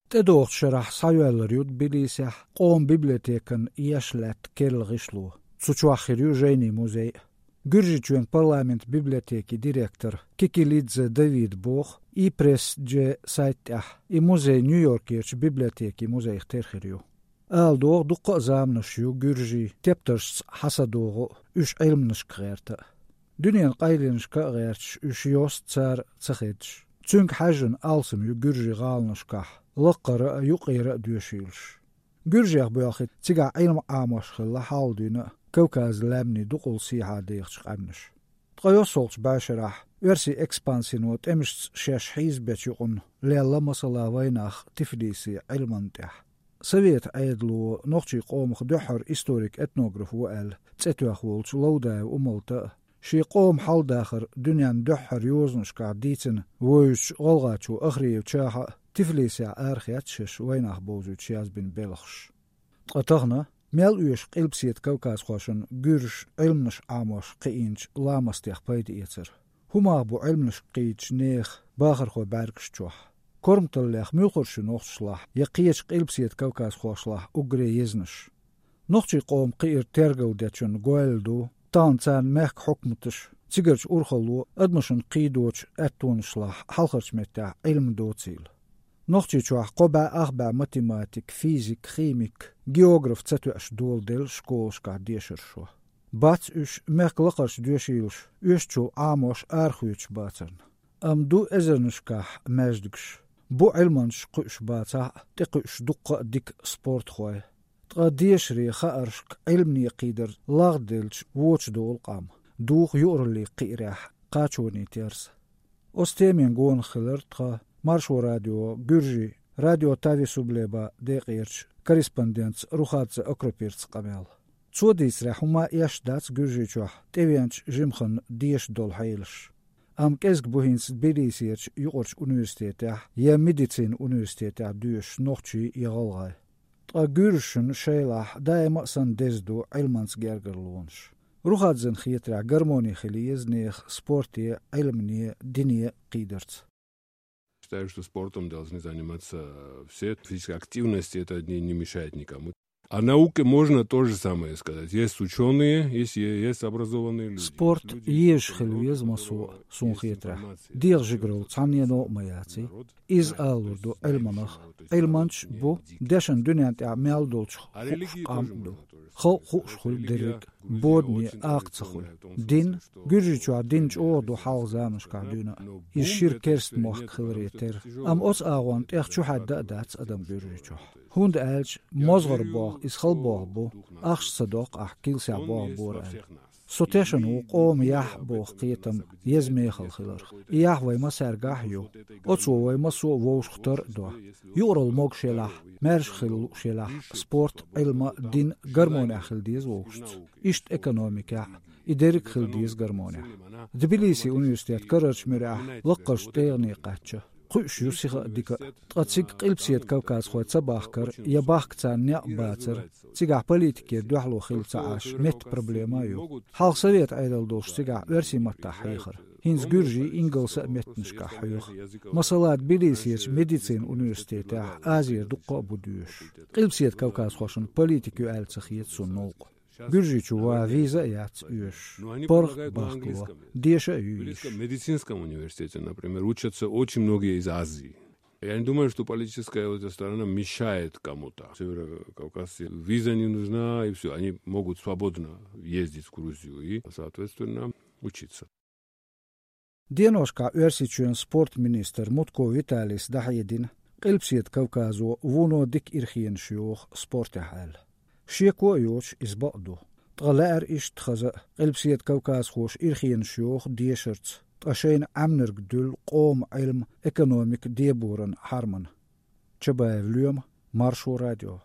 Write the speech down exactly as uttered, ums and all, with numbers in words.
ТӀедогӀучу шарахь схьайоьллур ю Тбилисехь къоман библиотекан еш лаьтта керла гӀишло. Цу чохь хир ю жайнийн музей а. Гуьржийчоьнан парламентан библиотекин директора Кикилидзе Давида боху, и-пресс-дж сайтан тӀехь, и музей Нью-Йоркерчу библиотекин музейх тера хир ю. Ала догӀу, дуккха а заманаш ю гуьржийн тептаршца хьа са догӀу а, уьш Ӏилманашка гӀерта а. Дуьненан къайленашка а гӀерташ, уьш йост цара ца хедаш. Цуьнга хьаьжжина алсам ю гуьржийн гӀаланашкахь, лакхара а, юккъера а доьшийлаш. Гуьржех боьлхий цигахь Ӏилма Ӏамош хилла хьалха дуьйна а Кавказан лаьмнийн дукъал сехьа дехачу къаьмнаша. Ткъа йоссалгӀачу бӀешарахь оьрсийн экспансино тӀемашца шаьш хьийзабечу юкъана лелла масала вайнах Тифлисе Ӏилманна тӀехь. Советан Ӏедало нохчийн къомах дуьххьара историк-этнограф ву аьлла цӀе тоьхна волчу Ловдаев Умалта а, шен къоман хьал-дахар дуьненна дуьххьара йозанашкахь дийцина вевзачу гӀалгӀачу Ахриев Чахьа а Тифлисехь арахецна шаьш вайнах бовзуьйтуш язбина белхаш. Ткъа тахана мел оьшу Къилбаседа кавказхошна гуьржаша Ӏилманаш Ӏамош кхиийначу ламастех пайда эцар? ХӀун мах бу Ӏилманашка кхийтачу нехан бахархойн бӀаьргаш чохь? Корматаллех муьлхарш ю нохчашлахь я кхечу Къилбаседа кавказхошлахь уггаре езанаш? Нохчийн къоман кхиар тергалдечунна гойла ду, тахана царна мехкан хьукматаша, цигарчу урхалло адамашна кхийдочу аьттонашлахь хьалхарчу меттехь Ӏилма доцийла. Нохчийчохь кхо бӀе ах бӀе математик, физик, химик, географ ца тоьаш доладелла школашкахь дешархой. Бац уьш мехкан лакхарчу доьшийлаша оьшучул Ӏамош арахоьцуш бацарна. Амма ду эзарнашкахь маьждигаш, бу Ӏилманчаш кхуьуш бацахь а, тӀекхуьуш дуккха а дика спортхой. Ткъа дешаре, хааршка, Ӏилмане кхийдар лагӀделча вочу долу къам, духу юкъараллин кхиарехь кхачонийн терса. Оцу темина гонах хилира тхан Маршо радион гуьржийн радио Тави Сублеба декъерчу корреспондентца Рухадзе Акропирца къамел. Цо дийцарехь, хӀумма а эшна дац Гуьржийчохь тӀевеанчу жимахана деша долу хьелаш. Амма кӀезиг бу хӀинца Тбилисерчу юкъарчу университетехь я медицинан университетехь доьшуш нохчий я гӀалгӀай. Ткъа гуьржашна шайлахь даима а санна деза ду Ӏилманца гергарлонаш. Рухадзена хетарехь, гармони хила еза нехан спорте, Ӏилмане, дине кхийдарца. Считаю, что спортом должны заниматься все. Физическая активность, это не, не мешает никому. О науке можно то же самое сказать. Есть учёные, есть, есть образованные люди. Спорт езаш хила веза массо а, суна хетарехь. ДегӀан жигаралла цхьаннено а ма яций. Иза алалур ду Ӏилманах. Ӏилманчаш бу дешан дуьнен тӀехь мел долчух хууш къам а ду. Халкъ хууш хуьлу дерриг а, бодане акха ца хуьлу. Дин, Гуьржийчохь дин чӀогӀа ду хьалха заманашкахь дуьйна а. Иза шира керста мохк хиларе терра. Амма оцу агӀонна тӀех чухьаьдда а дац адам Гуьржийчохь. ХӀунда аьлча мозгӀара боху иза хала боху бу, ахча ца доккху ахь килсехь боху бора аьлла. Со тешна ву къоман яхь боху кхетам еза мехала хиларх. И яхь вай массаьргахь а ю. Оцо вай массо а вовшахтар а до. Юкъаралла могуш елахь, маьрша хила лууш елахь, спорт, Ӏилма, дин гармонехь хила деза вовшашца. Иштта экономикехь а, и дерриг а хила деза гармонехь. Тбилисин университет карарчу муьрехь лаккхарчу тӀегӀане кхаьчча, кхуьуш ю сиха а, дика а. Ткъа цига Къилбаседа кавказхой ца бахкар я бахка царна некъ бацар, цигахь политикера дуьхьало хилла ца Ӏаш, меттан проблема а ю. Хьалха Совет Ӏедал долуш цигахь оьрсийн маттахь хьехара. ХӀинца гуьржийн, ингалсан а меттанашкахь хьоьху. Масала, Тбилисерчу медицинан университетехь Азера дуккха а бу доьшуш. Къилбаседа кавказхошна политика ю аьлла ца хета суна новкъа. Гуьржийчу ван виза а яц оьшуш. ПаргӀат бахкало, деша а ю йиш. В медицинском университете, например, учатся очень многие из Азии. Я не думаю, что политическая вот эта сторона мешает кому-то. Северокавказцы виза не нужна, и все. Они могут свободно ездить в Грузию и, соответственно, учиться. Деношкахь Оьрсийчоьнан спортан министр Мутко Виталис дӀахьедина, Къилбаседа Кавказо вуно дика ирхенаш йоху спортехь аьлла. Шеко а йоцуш, иза бакъ ду. Ткъа лаьара иштта хаза а, Къилбаседа Кавказхоша ирхенаш йоху дешарца, ткъа шайна Ӏаьмнарг дуьллу къоман Ӏилма, экономика деборан хьармана. Чабаев Лоьма, Маршо радио.